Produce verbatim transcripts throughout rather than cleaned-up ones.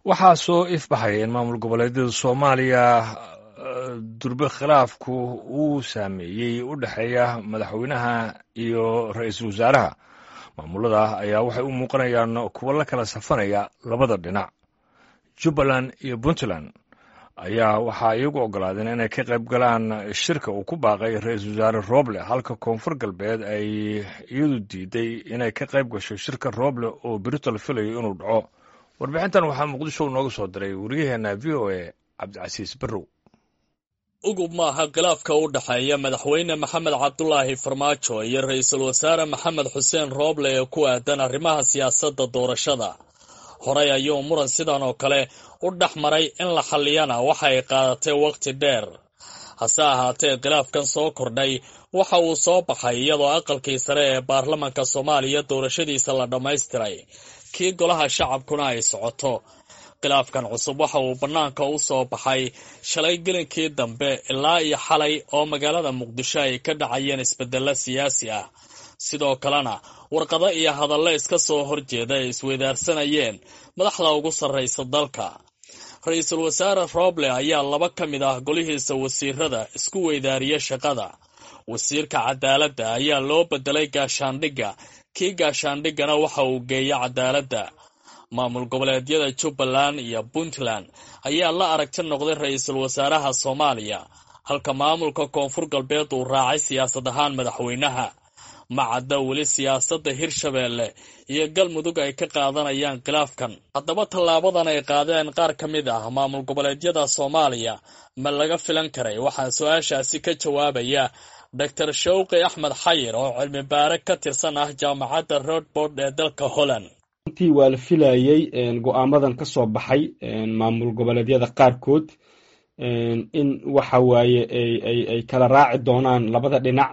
Waxaa soo ifbaxaya in maamul goboleedyada Soomaaliya durbe khilaafku uu saameeyey u dhexeeya madaxweynaha iyo ra-iisul wasaaraha. Maamulada ayaa waxay u muuqanayaan kuwo la kala safanaya labada dhinac. Jubbaland iyo Puntland ayaa waxaa iyagu ogolaadeen inay ka qayb galaan shirka uu ku baaqay ra-iisul wasaare Roble, halka Koonfur Galbeed ay iyadu diiday inay ka qayb gasho shirka Roble oo berito la filayo inuu dhaco. Warbixintan waxaa Muqdisho nooga soo diray wariyaheena V O A Cabdicasiis Barrow. Ugub maaha khilaafka u dhexeeya madaxweyne Maxamed Cabdulaahi Farmaajo iyo ra-iisul wasaare Maxamed Xuseen Rooble ee ku aadan arrimaha siyaasadda doorashada. Horey ayuu muran sidan oo kale u dhex maray, in la xalliyana waxa ay qaadatay waqti dheer. Hase ahaatee, khilaafkan soo kordhay waxa uu soo baxay iyadoo aqalkii sare ee baarlamanka Soomaaliya doorashadiisa la dhammaystiray, kii golaha shacabkuna ay socoto. Khilaafkan cusub waxa uu bannaanka u soo baxay shalay gelinkii dambe ilaa iyo xalay oo magaalada Muqdisho ay ka dhacayeen isbeddello siyaasi ah, sidoo kalena warqado iyo hadallo iska soo horjeeda ay isweydaarsanayeen madaxda ugu sarraysa dalka. Ra-iisul wasaare Roble ayaa laba ka mid ah golihiisa wasiirada isku weydaariya shaqada. Wasiirka cadaaladda ayaa loo bedelay gaashaandhigga, kii gaashaandhiggana waxa uu geeya cadaaladda. Maamul goboleedyada Jubbaland iyo Puntland ayaa la aragti noqday ra-iisul wasaaraha Soomaaliya, halka maamulka Koonfur Galbeed uu raacay siyaasad ahaan madaxweynaha. Ma cadda weli siyaasadda Hirshabeelle iyo Galmudug ay ka qaadanayaan khilaafkan. Haddaba, tallaabadan ay qaadeen qaar ka mid ah maamul goboleedyada Soomaaliya ma laga filan karay? Waxaa su-aashaasi ka jawaabaya Doctor Shawqi Axmed Xayir oo cilmi baare ka tirsan ah jaamacadda Rodbord ee dalka Holland. Runtii waa la filayey go-aamadan ka soo baxay maamul goboleedyada qaarkood in waxa waaye ay kala raaci doonaan labada dhinac,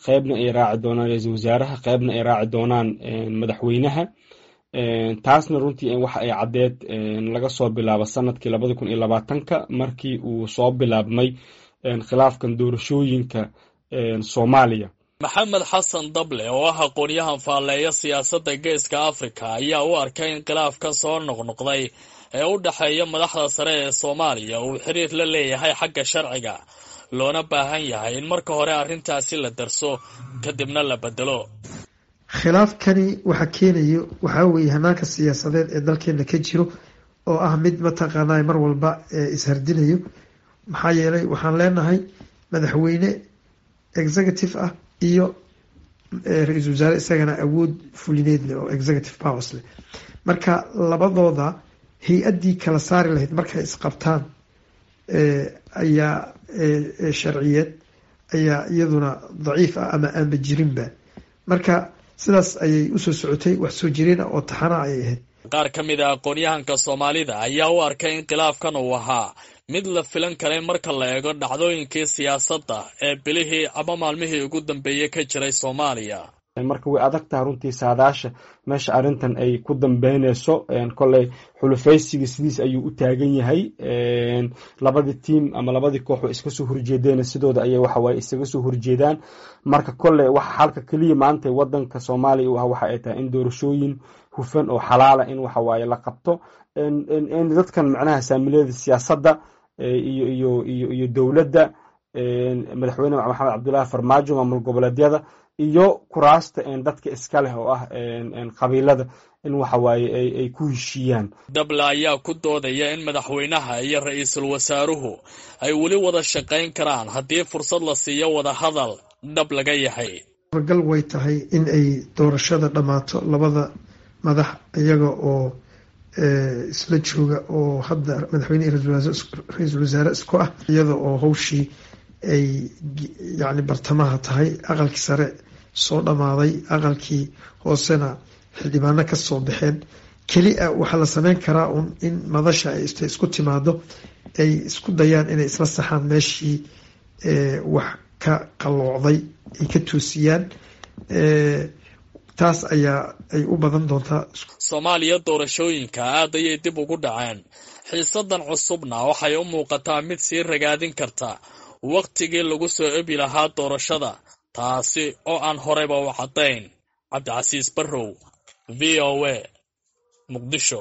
qeybna ay raaci doonaan ra-iisul wasaaraha, qeybna ay raaci doonaan madaxweynaha. Taasna runtii waxa ay caddeed laga soo bilaabo sanadkii labada kun iyo labaatanka markii uu soo bilaabmay khilaafkan doorashooyinka Soomaaliya. Maxamed Xasan Dable oo ah aqoon-yahan faalleeya siyaasadda Geeska Afrika ayaa u arkay in khilaafkan soo noqnoqday ee u dhexeeya madaxda sare ee Soomaaliya uu xiriir la leeyahay xagga sharciga, loona baahan yahay in marka hore arrintaasi la darso, kadibna la bedelo. Khilaafkani waxa keenayo waxaa weeye hanaanka siyaasadeed ee dalkeena ka jiro oo ah mid mataqaanaa mar walba ishardinayo. Maxaa yeelay, waxaan leenahay madaxweyne executive ah iyo ra-iisul wasaare isagana awood fulineed leh oo executive powers leh. Marka labadooda hay-addii kala saari lahayd markay isqabtaan ayaa sharciyeed ayaa iyaduna daciif ah ama aanba jirinba. Marka sidaas ayay usoo socotay, wax soo jireen ah oo taxana ayay ahayd. Qaar ka mid a aqoon-yahanka Soomaalida ayaa u arkay in khilaafkan uu ahaa mid la filan karay marka la eego dhacdooyinkii siyaasadda ee bilihii ama maalmihii ugu dambeeyey ka jiray Soomaaliya. Marka way adag taha runtii saadaasha meesha arrintan ay ku dambeyneyso. Kolley xulufaysiga sidiis ayuu u taagan yahay. Labadii tiam ama labadii koox way iska soo horjeedeen, sidooda ayay waxawaaye isaga soo horjeedaan. Marka kolley waxa xalka keliya maanta wadanka Soomaaliya u ah waxa ay tahay in doorashooyin hufan oo xalaala in waxawaaye la qabto, in dadkan macnaha saamilada siyaasadda iyo iyo iyo iyo dowladda, madaxweyne Maxamed Cabdullaahi Farmaajo, maamul goboleedyada iyo kuraasta dadka iska leh oo ah qabiilada in waxawaaye ay ku heshiiyaan. Dable ayaa ku doodaya in madaxweynaha iyo ra-iisul wasaaruhu ay weli wada shaqayn karaan haddii fursad la siiyo wada hadal dhab laga yahay. Suuragal way tahay in ay doorashada dhammaato labada madax iyaga oo isla jooga, oo hadda madaxweyne ra-iisul wasaare isku ah, iyada oo hawshii ay yacni bartamaha tahay, aqalkii sare soo dhammaaday, aqalkii hoosena xildhibaano ka soo baxeen. Keli a waxaa la sameyn karaa un in madasha ay isku timaado, ay isku dayaan inay isla saxaan meeshii wax ka qalloocday, ay ka toosiyaan. Taas ayaa ay u badan doontaa. Soomaaliya doorashooyinka aad ayay dib ugu dhaceen. Xiisadan cusubna waxay u muuqataa mid sii ragaadin karta wakhtigii lagu soo ebi lahaa doorashada, taasi oo aan horeyba u caddayn. Cabdicasiis Barrow, V O A, Muqdisho.